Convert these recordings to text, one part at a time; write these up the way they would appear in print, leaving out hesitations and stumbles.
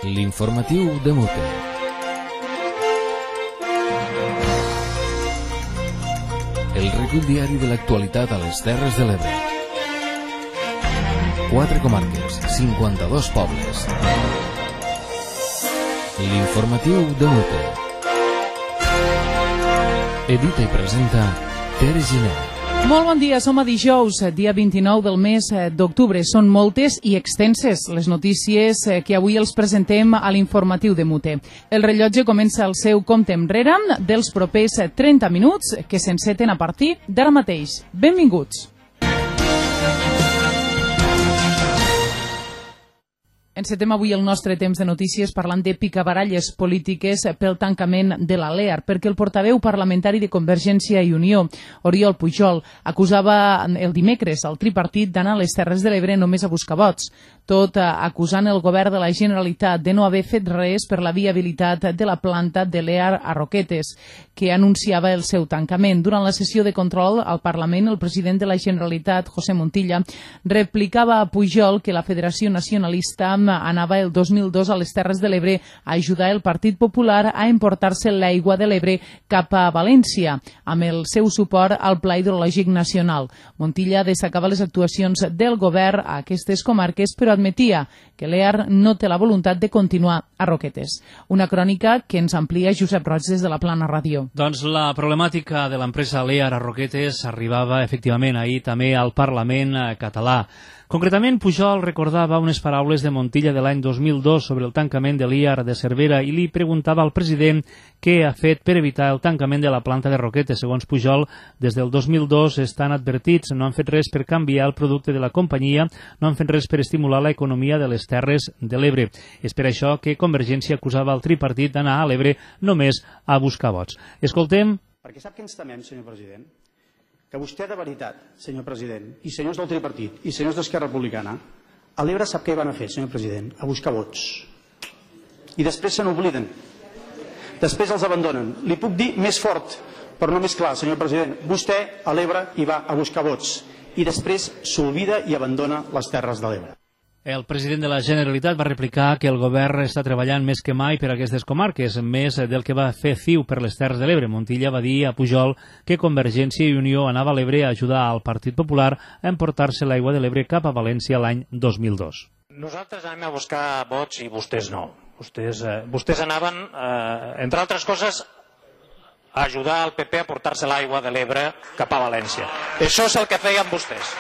L'informatiu de Mute. El recull diari de l'actualitat a les Terres de l'Ebre. 4 comarques, 52 pobles. L'informatiu de Mute. Edita i presenta Tere Giner. Molt bon dia, som a dijous, dia 29 del mes d'octubre. Són moltes i extenses les notícies que avui els presentem a l'informatiu de Mute. El rellotge comença el seu compte enrere dels propers 30 minuts que s'enceten a partir d'ara mateix. Benvinguts. Encetem avui el nostre temps de notícies parlant de picabaralles polítiques pel tancament de la LEAR, perquè el portaveu parlamentari de Convergència i Unió, Oriol Pujol, acusava el dimecres al tripartit d'anar a les Terres de l'Ebre només a buscar vots, tot acusant el govern de la Generalitat de no haver fet res per la viabilitat de la planta de LEAR a Roquetes, que anunciava el seu tancament. Durant la sessió de control al Parlament, el president de la Generalitat, José Montilla, replicava a Pujol que la Federació Nacionalista anava el 2002 a les Terres de l'Ebre a ajudar el Partit Popular a emportar-se l'aigua de l'Ebre cap a València, amb el seu suport al Pla Hidrològic Nacional. Montilla destacava les actuacions del govern a aquestes comarques, però admetia que l'EAR no té la voluntat de continuar a Roquetes. Una crònica que ens amplia Josep Roig des de la Plana Ràdio. Doncs la problemàtica de l'empresa LEAR a Roquetes arribava efectivament ahir també al Parlament català. Concretament, Pujol recordava unes paraules de Montilla de l'any 2002 sobre el tancament de l'IAR de Cervera i li preguntava al president què ha fet per evitar el tancament de la planta de Roquetes. Segons Pujol, des del 2002 estan advertits, no han fet res per canviar el producte de la companyia, no han fet res per estimular l'economia de les Terres de l'Ebre. És per això que Convergència acusava el tripartit d'anar a l'Ebre només a buscar vots. Escoltem. Perquè sap que ens temem, senyor president? Que vostè de veritat, senyor president, i senyors del tripartit, i senyors d'Esquerra Republicana, a l'Ebre sap què van a fer, senyor president? A buscar vots. I després se n'obliden. Després els abandonen. Li puc dir més fort, però no més clar, senyor president. Vostè a l'Ebre hi va a buscar vots. I després s'oblida i abandona les Terres de l'Ebre. El president de la Generalitat va replicar que el govern està treballant més que mai per a aquestes comarques, més del que va fer CiU per les Terres de l'Ebre. Montilla va dir a Pujol que Convergència i Unió anava a l'Ebre a ajudar al Partit Popular a emportar-se l'aigua de l'Ebre cap a València l'any 2002. Nosaltres anem a buscar vots i vostès no. Vostès anaven, entre altres coses, a ajudar el PP a portar-se l'aigua de l'Ebre cap a València. Això és el que feien vostès.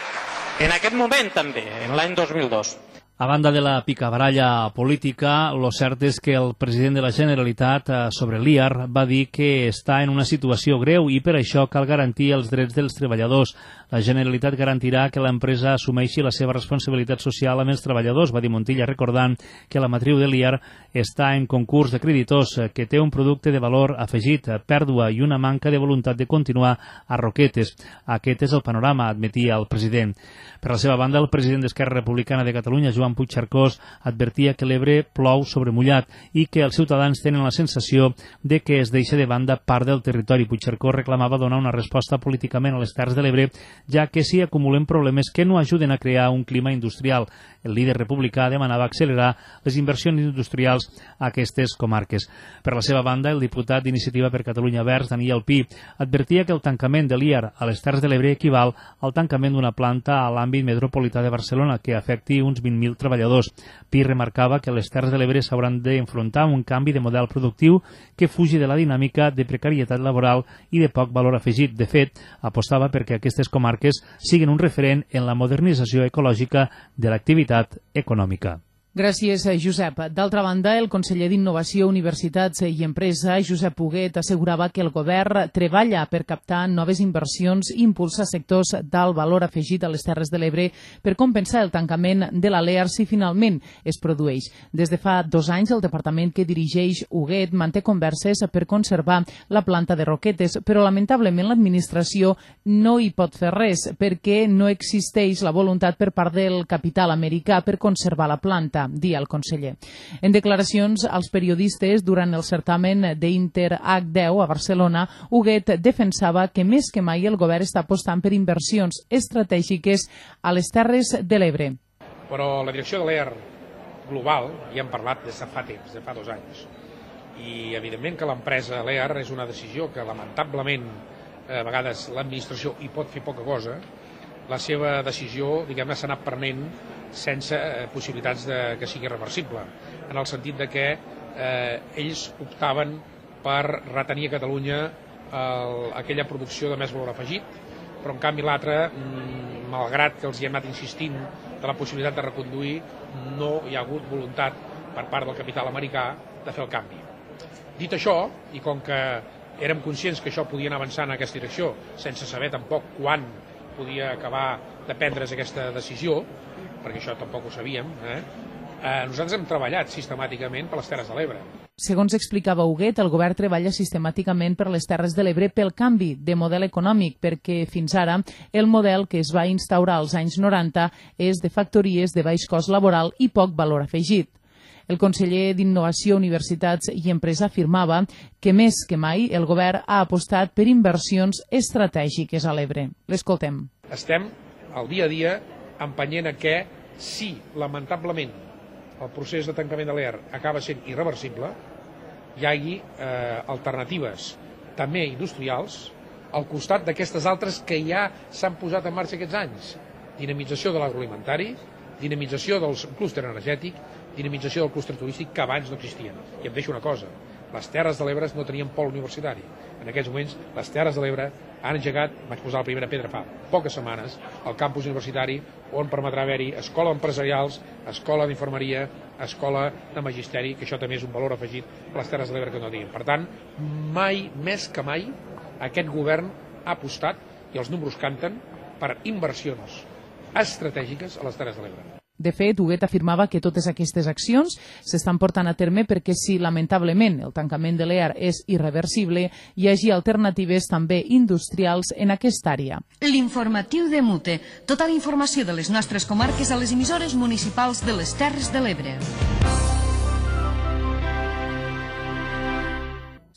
En aquest moment també, en l'any 2002. A banda de la picabaralla política, lo cert és que el president de la Generalitat sobre l'IAR va dir que està en una situació greu i per això cal garantir els drets dels treballadors. La Generalitat garantirà que l'empresa assumeixi la seva responsabilitat social amb els treballadors, va dir Montilla, recordant que la matriu de l'IAR està en concurs de creditors, que té un producte de valor afegit, pèrdua i una manca de voluntat de continuar a Roquetes. Aquest és el panorama, admetia el president. Per la seva banda, el president d'Esquerra Republicana de Catalunya, Joan Puigcercós, advertia que l'Ebre plou sobre mullat i que els ciutadans tenen la sensació de que es deixa de banda part del territori. Puigcercós reclamava donar una resposta políticament a les Terres de l'Ebre, ja que s'hi acumulen problemes que no ajuden a crear un clima industrial. El líder republicà demanava accelerar les inversions industrials a aquestes comarques. Per la seva banda, el diputat d'Iniciativa per Catalunya Verds, Daniel Pi, advertia que el tancament de l'IAR a les Terres de l'Ebre equival al tancament d'una planta a l'àmbit metropolità de Barcelona que afecti uns 20.000 treballadors. Pi remarcava que les Terres de l'Ebre s'hauran d'enfrontar un canvi de model productiu que fugi de la dinàmica de precarietat laboral i de poc valor afegit. De fet, apostava perquè aquestes comarques siguin un referent en la modernització ecològica de l'activitat econòmica. Gràcies, Josep. D'altra banda, el conseller d'Innovació, Universitats i Empresa, Josep Huguet, assegurava que el govern treballa per captar noves inversions i impulsar sectors d'alt valor afegit a les Terres de l'Ebre per compensar el tancament de la LEAR si finalment es produeix. Des de fa 2 anys, el departament que dirigeix Huguet manté converses per conservar la planta de Roquetes, però lamentablement l'administració no hi pot fer res perquè no existeix la voluntat per part del capital americà per conservar la planta, dia el conseller. En declaracions als periodistes durant el certamen d'Inter H10 a Barcelona, Huguet defensava que més que mai el govern està apostant per inversions estratègiques a les Terres de l'Ebre. Però la direcció de l'EAR global i hem parlat des de fa temps, de fa 2 anys. I evidentment que l'empresa Lear és una decisió que lamentablement a vegades l'administració hi pot fer poca cosa. La seva decisió, diguem-ne, s'ha anat prenent sense possibilitats que sigui reversible, en el sentit de que ells optaven per retenir a Catalunya aquella producció de més valor afegit, però en canvi l'altra, malgrat que els hi hem anat insistint de la possibilitat de reconduir, no hi ha hagut voluntat per part del capital americà de fer el canvi. Dit això, i com que érem conscients que això podia anar avançant en aquesta direcció, sense saber tampoc quan podia acabar de prendre's aquesta decisió, perquè això tampoc ho sabíem, nosaltres hem treballat sistemàticament per les Terres de l'Ebre. Segons explicava Huguet, el govern treballa sistemàticament per les Terres de l'Ebre pel canvi de model econòmic, perquè fins ara el model que es va instaurar als anys 90 és de factories de baix cost laboral i poc valor afegit. El conseller d'Innovació, Universitats i Empresa afirmava que més que mai el govern ha apostat per inversions estratègiques a l'Ebre. L'escoltem. Estem al dia a dia empenyent a que si, lamentablement, el procés de tancament de l'EAR acaba sent irreversible, hi hagi alternatives també industrials al costat d'aquestes altres que ja s'han posat en marxa aquests anys. Dinamització de l'agroalimentari, dinamització del clúster energètic, dinamització del clúster turístic que abans no existien. I em deixo una cosa, les Terres de l'Ebre no tenien pol universitari. En aquests moments, les Terres de l'Ebre han engegat, vaig posar la primera pedra fa poques setmanes, el campus universitari on permetrà haver-hi escola d'empresarials, escola d'infermeria, escola de magisteri, que això també és un valor afegit a les Terres de l'Ebre que no tinguin. Per tant, mai, més que mai, aquest govern ha apostat, i els números canten, per inversions estratègiques a les Terres de l'Ebre. De fet, Huguet afirmava que totes aquestes accions s'estan portant a terme perquè si, lamentablement, el tancament de l'EAR és irreversible, hi hagi alternatives també industrials en aquesta àrea. L'informatiu de Mute. Tota la informació de les nostres comarques a les emissores municipals de les Terres de l'Ebre.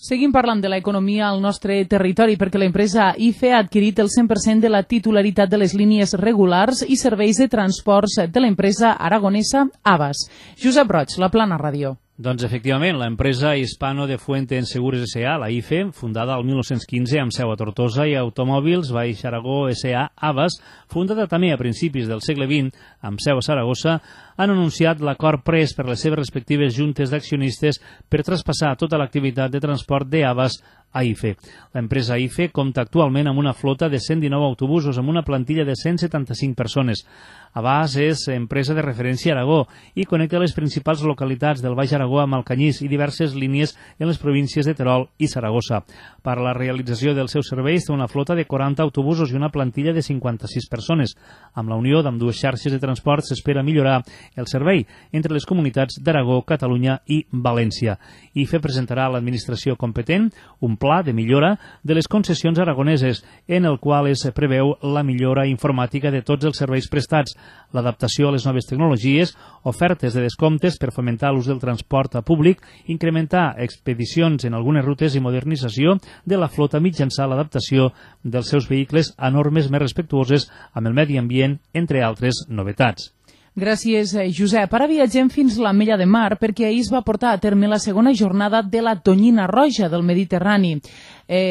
Seguim parlant de l'economia al nostre territori perquè l'empresa IFE ha adquirit el 100% de la titularitat de les línies regulars i serveis de transports de l'empresa aragonesa Avas. Josep Roig, La Plana Ràdio. Doncs efectivament, l'empresa Hispano de Fuente en Segures S.A., la IFE, fundada el 1915 amb seu a Tortosa, i Automòbils Baix Aragó S.A. Avas, fundada també a principis del segle XX amb seu a Saragossa, han anunciat l'acord pres per les seves respectives juntes d'accionistes per traspassar tota l'activitat de transport d'Avas a IFE. L'empresa IFE compta actualment amb una flota de 119 autobusos amb una plantilla de 175 persones. Avas és empresa de referència a Aragó i connecta les principals localitats del Baix Aragó amb Alcanyís i diverses línies en les províncies de Terol i Saragossa. Per a la realització dels seus serveis té una flota de 40 autobusos i una plantilla de 56 persones. Amb la unió d'ambdues xarxes de transport s'espera millorar el servei entre les comunitats d'Aragó, Catalunya i València. IFE presentarà a l'administració competent un pla de millora de les concessions aragoneses, en el qual es preveu la millora informàtica de tots els serveis prestats, l'adaptació a les noves tecnologies, ofertes de descomptes per fomentar l'ús del transport públic, incrementar expedicions en algunes rutes i modernització de la flota mitjançant l'adaptació dels seus vehicles a normes més respectuoses amb el medi ambient, entre altres novetats. Gràcies, Josep. Ara viatgem fins a l'Ametlla de Mar perquè ahir es va portar a terme la segona jornada de la Tonyina Roja del Mediterrani.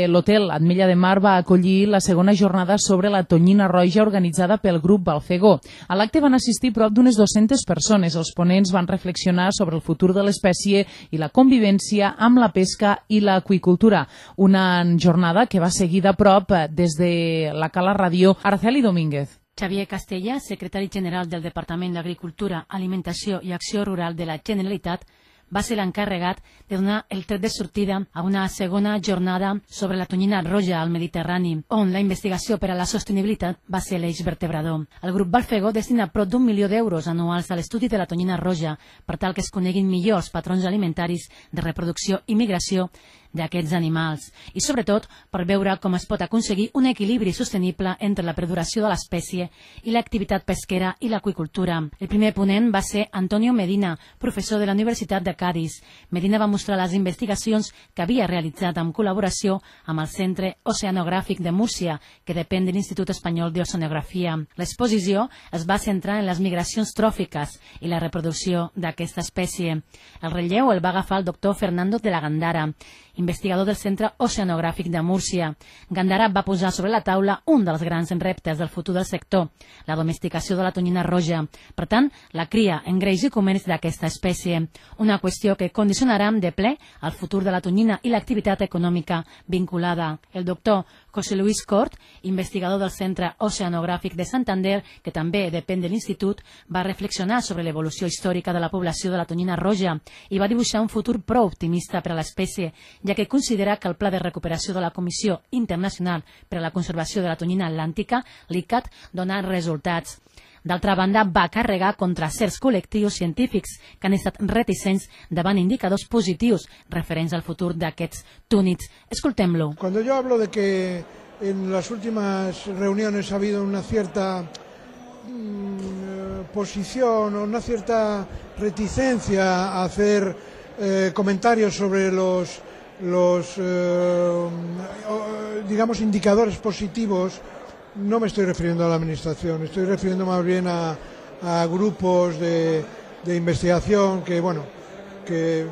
L'hotel Ametlla de Mar va acollir la segona jornada sobre la Tonyina Roja organitzada pel grup Balfegó. A l'acte van assistir prop d'unes 200 persones. Els ponents van reflexionar sobre el futur de l'espècie i la convivència amb la pesca i l'aqüicultura. Una jornada que va seguir de prop des de la Cala Ràdio Araceli Domínguez. Xavier Castella, secretari general del Departament d'Agricultura, Alimentació i Acció Rural de la Generalitat, va ser l'encarregat de donar el tret de sortida a una segona jornada sobre la tonyina roja al Mediterrani, on la investigació per a la sostenibilitat va ser l'eix vertebrador. El grup Balfegó destina prop d'1 milió d'euros anuals a l'estudi de la tonyina roja per tal que es coneguin millor els patrons alimentaris de reproducció i migració d'aquests animals i, sobretot, per veure com es pot aconseguir un equilibri sostenible entre la perduració de l'espècie i l'activitat pesquera i l'aqüicultura. El primer ponent va ser Antonio Medina, professor de la Universitat de Cádiz. Medina va mostrar les investigacions que havia realitzat en col·laboració amb el Centre Oceanogràfic de Múrcia, que depèn de l'Institut Espanyol d'Oceanografia. L'exposició es va centrar en les migracions tròfiques i la reproducció d'aquesta espècie. El relleu el va agafar el doctor Fernando de la Gandara, investigador del Centre Oceanogràfic de Múrcia. Gandara va posar sobre la taula un dels grans reptes del futur del sector, la domesticació de la tonyina roja. Per tant, la cria en greix i comerç d'aquesta espècie, una qüestió que condicionarà de ple el futur de la tonyina i l'activitat econòmica vinculada. El doctor José Luis Cort, investigador del Centre Oceanogràfic de Santander, que també depèn de l'Institut, va reflexionar sobre l'evolució històrica de la població de la tonyina roja i va dibuixar un futur prou optimista per a l'espècie, ja que considera que el Pla de Recuperació de la Comissió Internacional per a la Conservació de la Tonyina Atlàntica, l'ICCAT, dona resultats. D'altra banda, va carregar contra certs col·lectius científics que han estat reticents davant indicadors positius referents al futur d'aquests túnids. Escoltem-lo. Cuando yo hablo de que en las últimas reuniones ha habido una cierta posición o una cierta reticencia a hacer comentarios sobre los digamos indicadores positivos, no me estoy refiriendo a la administración, estoy refiriendo más bien a grupos de investigación que, bueno, que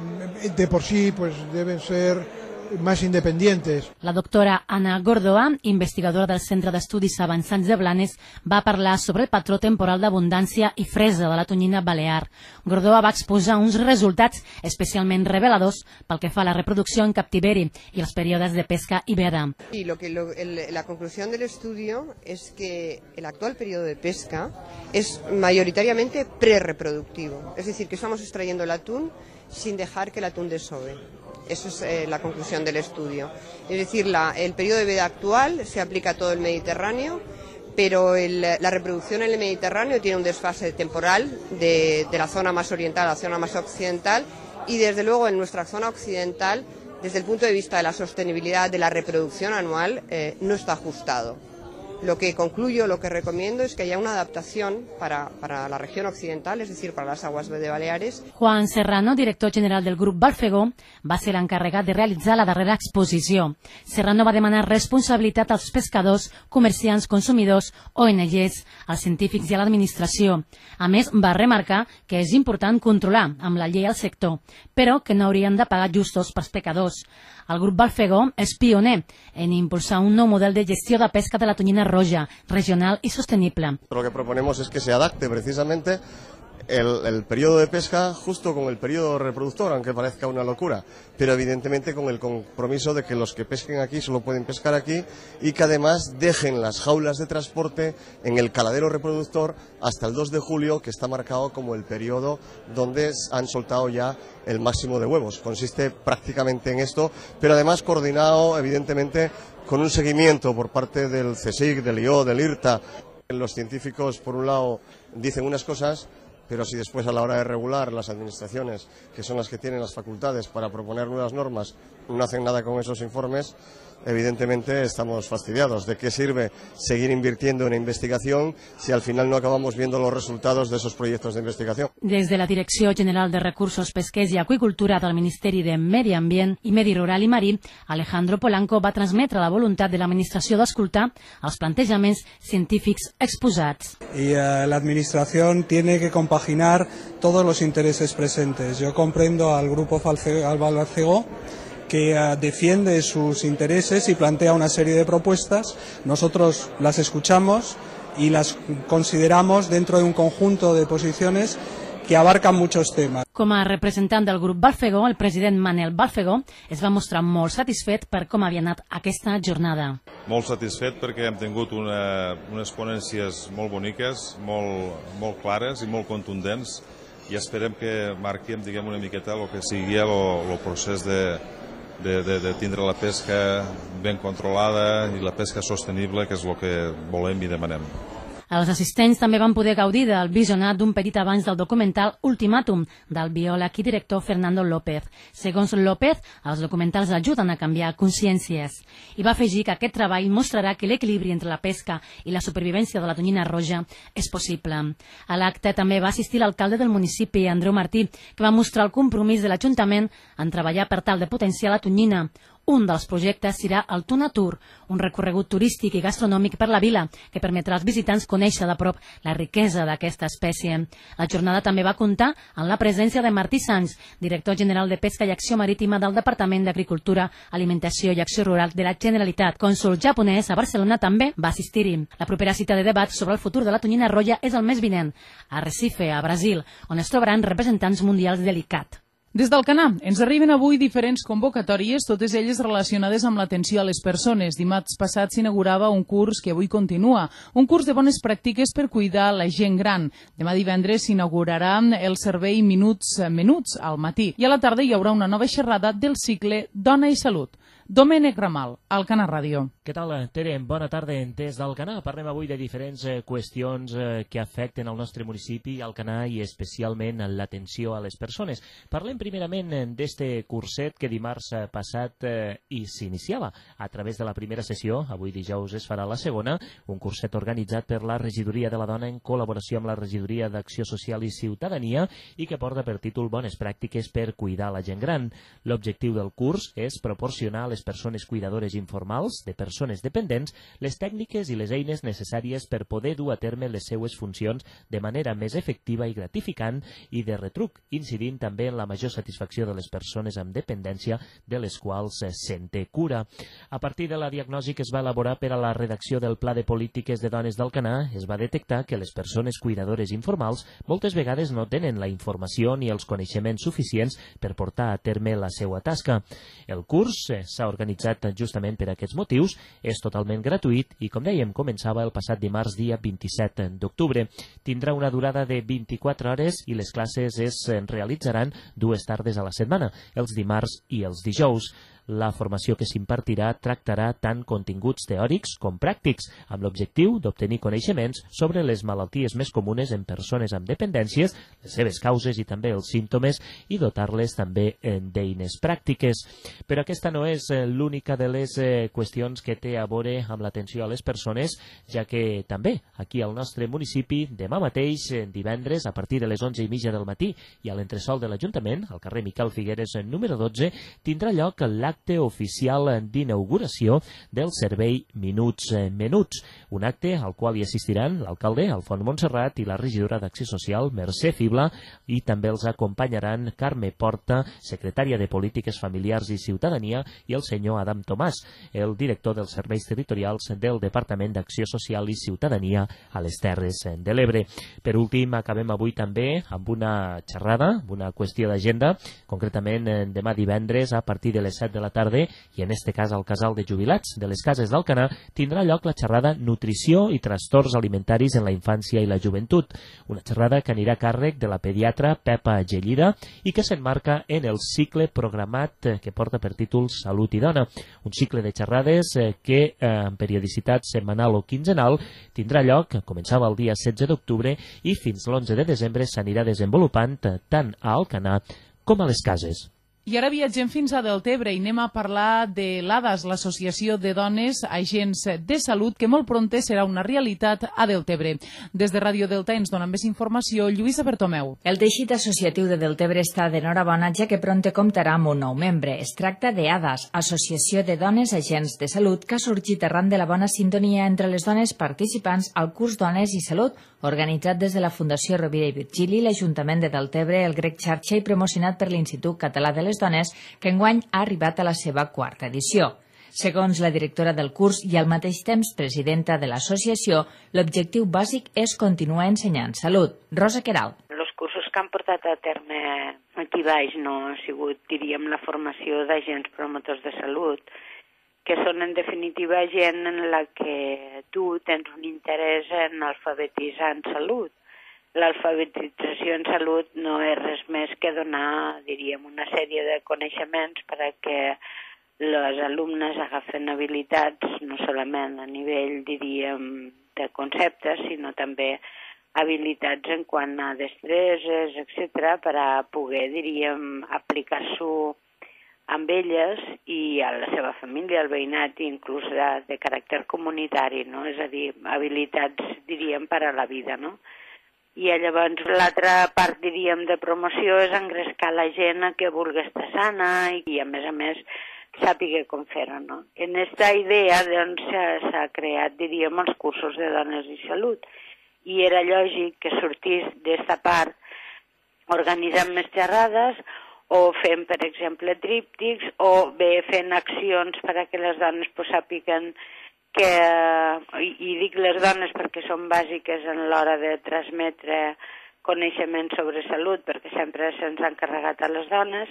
de por sí pues deben ser más independientes. La doctora Anna Gordoa, investigadora del Centre d'Estudis Avançats de Blanes, va parlar sobre el patró temporal d'abundància i fresa de la tonyina balear. Gordoa va exposar uns resultats especialment reveladors pel que fa a la reproducció en captiveri i els períodes de pesca i veda. Y la conclusión del estudio es que el actual periodo de pesca es mayoritariamente prerreproductivo, es decir, que estamos extrayendo el atún sin dejar que el atún desove. Esa es la conclusión del estudio. Es decir, el periodo de veda actual se aplica a todo el Mediterráneo, pero la reproducción en el Mediterráneo tiene un desfase temporal de la zona más oriental a la zona más occidental y desde luego en nuestra zona occidental, desde el punto de vista de la sostenibilidad de la reproducción anual, no está ajustado. Lo que concluyo, lo que recomiendo es que haya una adaptación para la región occidental, es decir, para las aguas de Baleares. Juan Serrano, director general del grup Balfegó, va ser l'encarregat de realitzar la darrera exposició. Serrano va demanar responsabilitat als pescadors, comerciants, consumidors, ONGs, als científics i a l'administració. A més, va remarcar que és important controlar amb la llei al sector, però que no haurien de pagar justos pels pescadors. El grup Balfegó és pioner en impulsar un nou model de gestió de pesca de la tonyina roja, regional y sostenible. Lo que proponemos es que se adapte precisamente el periodo de pesca justo con el periodo reproductor, aunque parezca una locura, pero evidentemente con el compromiso de que los que pesquen aquí solo pueden pescar aquí y que además dejen las jaulas de transporte en el caladero reproductor hasta el 2 de julio, que está marcado como el periodo donde han soltado ya el máximo de huevos. Consiste prácticamente en esto, pero además coordinado evidentemente con un seguimiento por parte del CSIC, del IO, del IRTA. Los científicos, por un lado, dicen unas cosas, pero si después a la hora de regular las administraciones, que son las que tienen las facultades para proponer nuevas normas, no hacen nada con esos informes, evidentemente estamos fastidiados. ¿De qué sirve seguir invirtiendo en investigación si al final no acabamos viendo los resultados de esos proyectos de investigación? Des de la Direcció General de Recursos Pesquers i Aqüicultura del Ministeri de Medi Ambient i Medi Rural i Marí, Alejandro Polanco va transmetre la voluntat de l'Administració d'escoltar els plantejaments científics exposats. Y la Administración tiene que compaginar todos los intereses presentes. Yo comprendo al Grupo Balfegó, que defiende sus intereses y plantea una serie de propuestas. Nosotros las escuchamos y las consideramos dentro de un conjunto de posiciones que abarcan muchos temas. Com a representant del grup Balfegó, el president Manel Balfegó es va mostrar molt satisfet per com havia anat aquesta jornada. Molt satisfet perquè hem tingut unes ponències molt boniques, molt clares i molt contundents, i esperem que marquem, diguem, una miqueta el que sigui el procés de tindre la pesca ben controlada i la pesca sostenible, que és el que volem i demanem. Els assistents també van poder gaudir del visionat d'un petit avanç del documental Ultimàtum, del biòleg i director Fernando López. Segons López, els documentals ajuden a canviar consciències. I va afegir que aquest treball mostrarà que l'equilibri entre la pesca i la supervivència de la tonyina roja és possible. A l'acte també va assistir l'alcalde del municipi, Andreu Martí, que va mostrar el compromís de l'Ajuntament en treballar per tal de potenciar la tonyina. Un dels projectes serà el Tunatur, un recorregut turístic i gastronòmic per la vila que permetrà als visitants conèixer de prop la riquesa d'aquesta espècie. La jornada també va comptar amb la presència de Martí Sans, director general de Pesca i Acció Marítima del Departament d'Agricultura, Alimentació i Acció Rural de la Generalitat. Cònsol japonès a Barcelona també va assistir-hi. La propera cita de debat sobre el futur de la tonyina roja és el mes vinent, a Recife, a Brasil, on es trobaran representants mundials de l'ICCAT. Des d'Alcanar ens arriben avui diferents convocatòries, totes elles relacionades amb l'atenció a les persones. Dimarts passat s'inaugurava un curs que avui continua, un curs de bones pràctiques per cuidar la gent gran. Demà divendres s'inaugurarà el servei Minuts al matí i a la tarda hi haurà una nova xerrada del cicle Dona i Salut. Domènec Ramal, Alcanar Ràdio. Què tal, Tere? Bona tarda. Des d'Alcanar parlem avui de diferents qüestions que afecten el nostre municipi, Alcanar, i especialment l'atenció a les persones. Parlem primerament d'este curset que dimarts passat s'iniciava a través de la primera sessió, avui dijous es farà la segona, un curset organitzat per la Regidoria de la Dona en col·laboració amb la Regidoria d'Acció Social i Ciutadania i que porta per títol Bones pràctiques per cuidar la gent gran. L'objectiu del curs és proporcionar a les persones cuidadores informals de persones dependents les tècniques i les eines necessàries per poder dur a terme les seues funcions de manera més efectiva i gratificant i de retruc, incidint també en la major satisfacció de les persones amb dependència de les quals se'n té cura. A partir de la diagnosi que es va elaborar per a la redacció del Pla de Polítiques de Dones d'Alcanar, es va detectar que les persones cuidadores informals moltes vegades no tenen la informació ni els coneixements suficients per portar a terme la seva tasca. El curs s'ha organitzat justament per aquests motius, és totalment gratuït i, com dèiem, començava el passat dimarts dia 27 d'octubre. Tindrà una durada de 24 hores i les classes es realitzaran 2 tardes a la setmana, els dimarts i els dijous. La formació que s'impartirà tractarà tant continguts teòrics com pràctics, amb l'objectiu d'obtenir coneixements sobre les malalties més comunes en persones amb dependències, les seves causes i també els símptomes, i dotar-les també d'eines pràctiques. Però aquesta no és l'única de les qüestions que té a veure amb l'atenció a les persones, ja que també aquí al nostre municipi, demà mateix, divendres, a partir de les 11:30 del matí i a l'entresol de l'Ajuntament, al carrer Miquel Figueres número 12, tindrà lloc l'acte oficial d'inauguració del servei Minuts, un acte al qual hi assistiran l'alcalde Alfons Montserrat i la regidora d'Acció Social Mercè Fibla, i també els acompanyaran Carme Porta, secretària de Polítiques Familiars i Ciutadania, i el senyor Adam Tomàs, el director dels serveis territorials del Departament d'Acció Social i Ciutadania a les Terres de l'Ebre. Per últim, acabem avui també amb una xerrada, una qüestió d'agenda, concretament demà divendres a partir de les 7 de la tarda, i en este cas al Casal de Jubilats de les Cases d'Alcanar, tindrà lloc la xerrada Nutrició i Trastorns Alimentaris en la Infància i la Joventut, una xerrada que anirà a càrrec de la pediatra Pepa Gellida i que s'enmarca en el cicle programat que porta per títol Salut i Dona, un cicle de xerrades que en periodicitat setmanal o quinzenal tindrà lloc, començava el dia 16 d'octubre i fins l'11 de desembre s'anirà desenvolupant tant a Alcanar com a les Cases. I ara viatgem fins a Deltebre i anem a parlar de l'ADAS, l'Associació de Dones Agents de Salut, que molt prompte serà una realitat a Deltebre. Des de Ràdio Delta ens donen més informació Lluïsa Bertomeu. El teixit associatiu de Deltebre està d'enhorabona, ja que prompte comptarà amb un nou membre. Es tracta d'ADAS, Associació de Dones Agents de Salut, que ha sorgit arran de la bona sintonia entre les dones participants al curs Dones i Salut, organitzat des de la Fundació Rovira i Virgili, l'Ajuntament de Deltebre, el Grec Xarxa i promocionat per l'Institut Català de les Dones, que enguany ha arribat a la seva 4ª edició. Segons la directora del curs i al mateix temps presidenta de l'associació, l'objectiu bàsic és continuar ensenyant salut. Rosa Queralt. Els cursos que han portat a terme aquí baix no ha sigut, diríem, la formació d'agents promotors de salut, que són en definitiva gent en la que tu tens un interès en alfabetitzar en salut. L'alfabetització en salut no és res més que donar, diríem, una sèrie de coneixements perquè les alumnes agafen habilitats no solament a nivell, diríem, de conceptes, sinó també habilitats en quant a destreses, etc., per a poder, diríem, aplicar-s'ho amb elles i a la seva família, al veïnat, inclús de caràcter comunitari, no? És a dir, habilitats, diríem, per a la vida, no? I llavors l'altra part, diríem, de promoció és engrescar la gent que vulgui estar sana i a més, sàpiga com fer-ho, no? En aquesta idea, doncs, s'ha creat, diríem, els cursos de dones i salut. I era lògic que sortís d'esta part organitzant més xerrades o fent, per exemple, tríptics o bé fent accions perquè les dones sàpiguen que, i dic les dones perquè són bàsiques en l'hora de transmetre coneixement sobre salut, perquè sempre se'ns ha encarregat a les dones,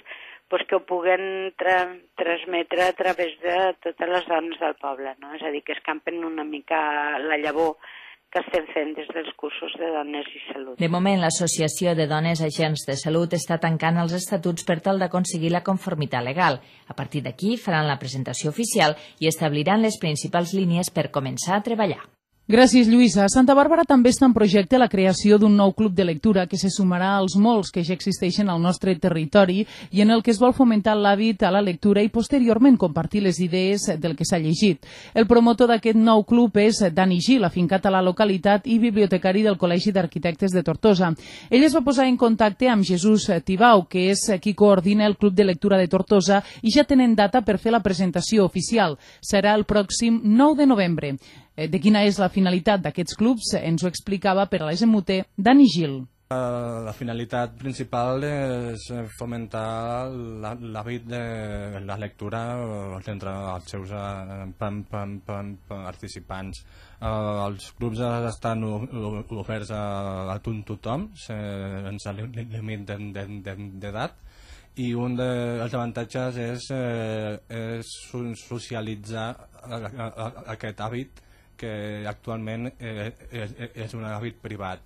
que ho puguen transmetre a través de totes les dones del poble, no? És a dir, que escampen una mica la llavor que estem fent des dels cursos de dones i salut. De moment, l'Associació de Dones Agents de Salut està tancant els estatuts per tal d'aconseguir la conformitat legal. A partir d'aquí faran la presentació oficial i establiran les principals línies per començar a treballar. Gràcies, Lluïsa. A Santa Bàrbara també està en projecte la creació d'un nou club de lectura que se sumarà als molts que ja existeixen al nostre territori i en el que es vol fomentar l'hàbit a la lectura i posteriorment compartir les idees del que s'ha llegit. El promotor d'aquest nou club és Dani Gil, afincat a la localitat i bibliotecari del Col·legi d'Arquitectes de Tortosa. Ell es va posar en contacte amb Jesús Tibau, que és qui coordina el Club de Lectura de Tortosa, i ja tenen data per fer la presentació oficial. Serà el pròxim 9 de novembre. De quina és la finalitat d'aquests clubs ens ho explicava per a l'SMUT Dani Gil. La finalitat principal és fomentar l'hàbit de la lectura entre els seus participants. Els clubs estan oberts a tothom, sense límit d'edat, i un dels avantatges és socialitzar aquest hàbit que actualment és un hàbit privat.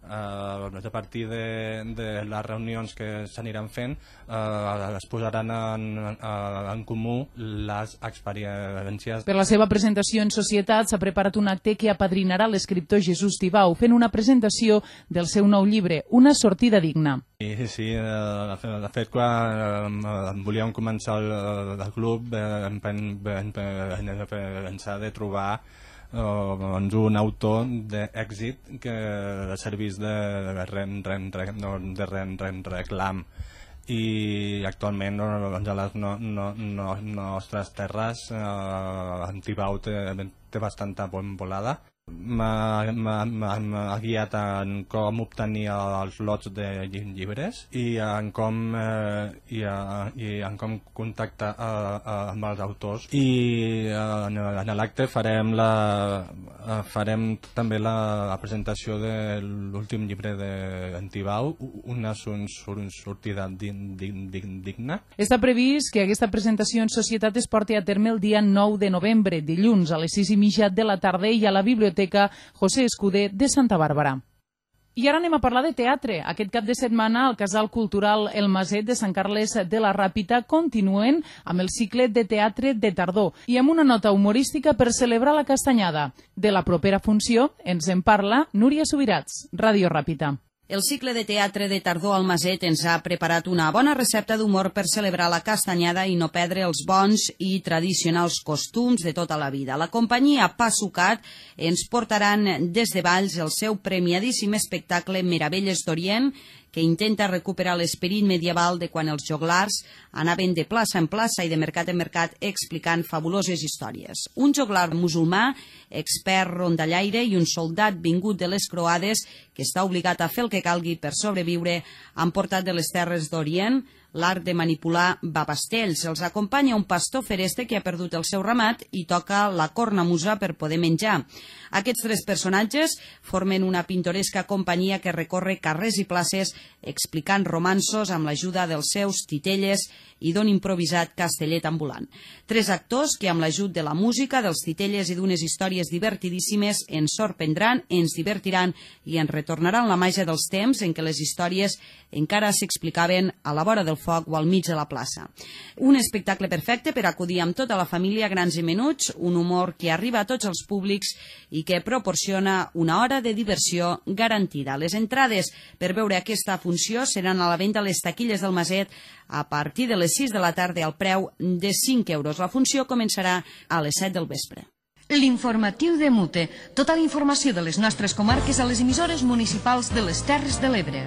A partir de les reunions que s'aniran fent es posaran en comú les experiències. Per la seva presentació en societat s'ha preparat un acte que apadrinarà l'escriptor Jesús Tibau fent una presentació del seu nou llibre, Una sortida digna. Sí, de fet, quan volíem començar el club vam pensar de trobar un autor d'èxit que servís de reclam, i actualment a les nostres terres en Tibau té bastanta volada. M'ha guiat en com obtenir els lots de llibres i en com contactar amb els autors, i en l'acte farem també la presentació de l'últim llibre d'en Tibau, Una sortida digna. Està previst que aquesta presentació en societat es porti a terme el dia 9 de novembre, dilluns, a les 6:30 de la tarda, i a la Biblioteca José Escuder de Santa Bàrbara. I ara anem a parlar de teatre. Aquest cap de setmana al Casal Cultural El Maset de Sant Carles de la Ràpita continuen amb el cicle de teatre de tardor i amb una nota humorística per celebrar la castanyada. De la propera funció ens en parla Núria Subirats, Ràdio Ràpita. El cicle de teatre de tardor al Maset ens ha preparat una bona recepta d'humor per celebrar la castanyada i no perdre els bons i tradicionals costums de tota la vida. La companyia Passucat ens portaran des de Valls el seu premiadíssim espectacle Meravelles d'Orient, que intenta recuperar l'esperit medieval de quan els joglars anaven de plaça en plaça i de mercat en mercat explicant fabuloses històries. Un joglar musulmà, expert rondallaire, i un soldat vingut de les croades que està obligat a fer el que calgui per sobreviure han portat de les terres d'Orient l'art de manipular babastells. Els acompanya un pastor fereste que ha perdut el seu ramat i toca la cornamusa per poder menjar. Aquests tres personatges formen una pintoresca companyia que recorre carrers i places explicant romanços amb l'ajuda dels seus titelles i d'un improvisat castellet ambulant. Tres actors que, amb l'ajut de la música, dels titelles i d'unes històries divertidíssimes, ens sorprendran, ens divertiran i ens retornaran la màgia dels temps en què les històries encara s'explicaven a la vora del foc o al mig de la plaça. Un espectacle perfecte per acudir amb tota la família, grans i menuts, un humor que arriba a tots els públics i que proporciona una hora de diversió garantida. Les entrades per veure aquesta funció seran a la venda a les taquilles del Maset a partir de les 6 de la tarda al preu de 5 euros. La funció començarà a les 7 del vespre. L'informatiu de Mute. Tota la informació de les nostres comarques a les emissores municipals de les Terres de l'Ebre.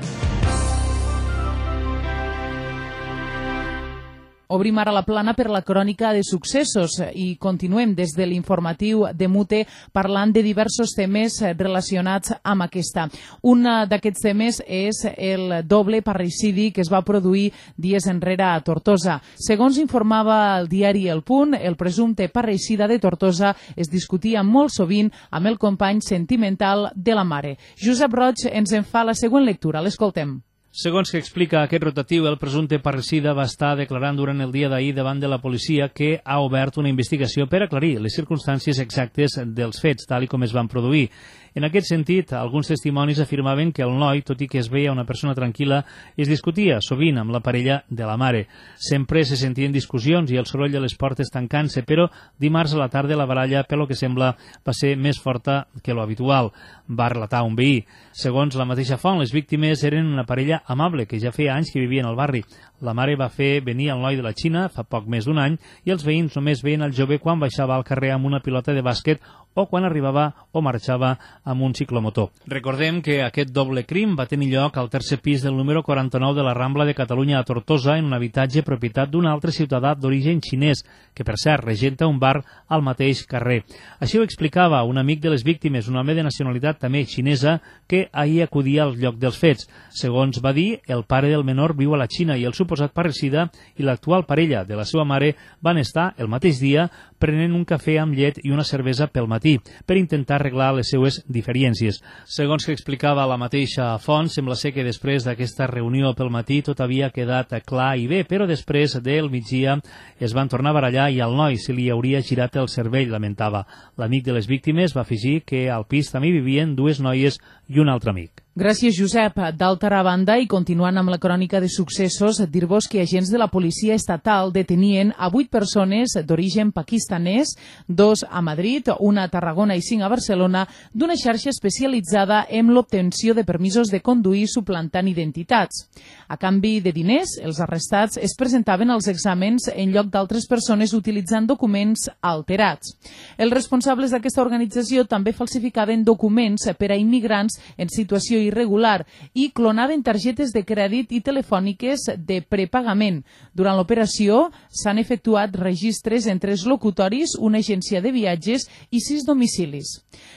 Obrim ara la plana per la crònica de successos i continuem des de l'informatiu de Mute parlant de diversos temes relacionats amb aquesta. Un d'aquests temes és el doble parricidi que es va produir dies enrere a Tortosa. Segons informava el diari El Punt, el presumpte parricida de Tortosa es discutia molt sovint amb el company sentimental de la mare. Josep Roig ens en fa la següent lectura. L'escoltem. Segons que explica aquest rotatiu, el presumpte parricida va estar declarant durant el dia d'ahir davant de la policia que ha obert una investigació per aclarir les circumstàncies exactes dels fets, tal com es van produir. En aquest sentit, alguns testimonis afirmaven que el noi, tot i que es veia una persona tranquil·la, es discutia sovint amb la parella de la mare. Sempre se sentien discussions i el soroll de les portes tancant-se, però dimarts a la tarda la baralla, pel que sembla, va ser més forta que lo habitual, va relatar un veí. Segons la mateixa font, les víctimes eren una parella amable que ja feia anys que vivien al barri. La mare va fer venir el noi de la Xina fa poc més d'un any i els veïns només veien el jove quan baixava al carrer amb una pilota de bàsquet o quan arribava o marxava amb un ciclomotor. Recordem que aquest doble crim va tenir lloc al tercer pis del número 49 de la Rambla de Catalunya a Tortosa, en un habitatge propietat d'un altre ciutadà d'origen xinès, que per cert regenta un bar al mateix carrer. Així ho explicava un amic de les víctimes, un home de nacionalitat també xinesa, que ahir acudia al lloc dels fets. Segons va dir, el pare del menor viu a la Xina i el suposat parricida i l'actual parella de la seva mare van estar el mateix dia prenent un cafè amb llet i una cervesa pel matí per intentar arreglar les seues diferències. Segons que explicava la mateixa font, sembla ser que després d'aquesta reunió pel matí tot havia quedat clar i bé, però després del migdia es van tornar a barallar i al noi se li hauria girat el cervell, lamentava. L'amic de les víctimes va afegir que al pis també vivien dues noies i un altre amic. Gràcies, Josep. D'altra banda, i continuant amb la crònica de successos, dir-vos que agents de la policia estatal detenien a 8 persones d'origen pakistanès, 2 a Madrid, 1 a Tarragona i 5 a Barcelona, d'una xarxa especialitzada en l'obtenció de permisos de conduir suplantant identitats. A canvi de diners, els arrestats es presentaven als exàmens en lloc d'altres persones utilitzant documents alterats. Els responsables d'aquesta organització també falsificaven documents per a immigrants en situació irregular i clonaven targetes de crèdit i telefòniques de prepagament. Durant l'operació s'han efectuat registres en 3 locutoris, una agència de viatges i 6 domicilis.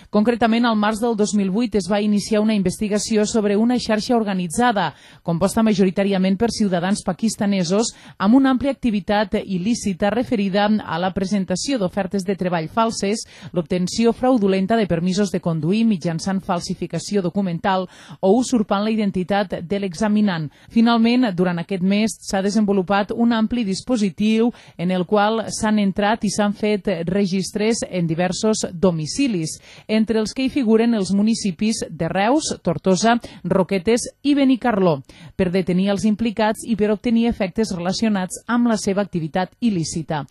Concretament, al març del 2008 es va iniciar una investigació sobre una xarxa organitzada, composta majoritàriament per ciutadans pakistanesos, amb una àmplia activitat il·lícita referida a la presentació d'ofertes de treball falses, l'obtenció fraudulenta de permisos de conduir mitjançant falsificació documental o usurpant la identitat de l'examinant. Finalment, durant aquest mes s'ha desenvolupat un ampli dispositiu en el qual s'han entrat i s'han fet registres en diversos domicilis, entre els que hi figuren els municipis de Reus, Tortosa, Roquetes i Benicarló, per detenir els implicats i per obtenir efectes relacionats amb la seva activitat il·lícita.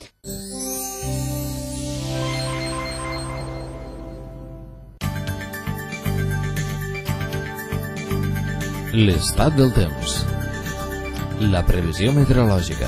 L'estat del temps. La previsió meteorològica.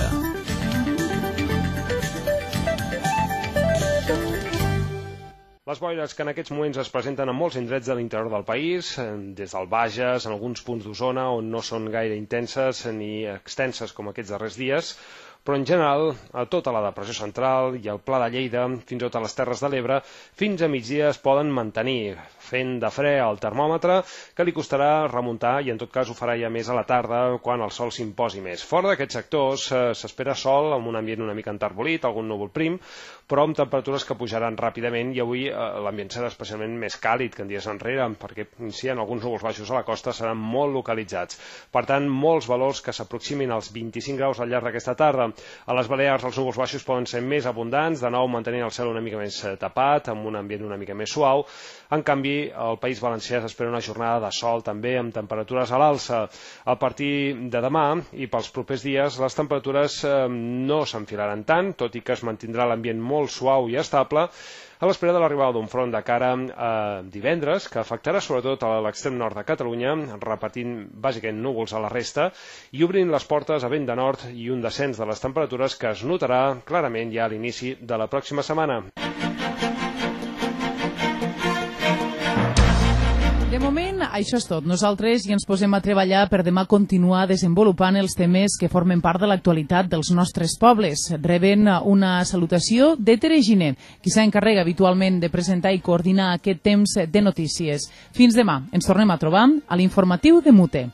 Les boires que en aquests moments es presenten en molts indrets de l'interior del país, des del Bages, en alguns punts d'Osona, on no són gaire intenses ni extenses com aquests darrers dies, però en general a tota la depressió central i al Pla de Lleida, fins i tot a les Terres de l'Ebre, fins a migdia es poden mantenir, fent de fre al termòmetre, que li costarà remuntar i en tot cas ho farà ja més a la tarda quan el sol s'imposi més. Fora d'aquests sectors s'espera sol amb un ambient una mica enterbolit, algun núvol prim, però amb temperatures que pujaran ràpidament i avui l'ambient serà especialment més càlid que en dies enrere, perquè si hi ha alguns núvols baixos a la costa seran molt localitzats. Per tant, molts valors que s'aproximin als 25 graus al llarg d'aquesta tarda. A les Balears els núvols baixos poden ser més abundants, de nou mantenint el cel una mica més tapat, amb un ambient una mica més suau. En canvi, al País Valencià s'espera una jornada de sol també amb temperatures a l'alça. A partir de demà i pels propers dies les temperatures no s'enfilaran tant, tot i que es mantindrà l'ambient molt suau i estable, a l'espera de l'arribada d'un front de cara a divendres, que afectarà sobretot a l'extrem nord de Catalunya, repetint bàsicament núvols a la resta i obrint les portes a vent de nord i un descens de les temperatures que es notarà clarament ja a l'inici de la pròxima setmana. De moment, això és tot. Nosaltres ja ens posem a treballar per demà continuar desenvolupant els temes que formen part de l'actualitat dels nostres pobles. Reben una salutació de Tere Giner, qui s'encarrega habitualment de presentar i coordinar aquest temps de notícies. Fins demà. Ens tornem a trobar a l'informatiu de Mute.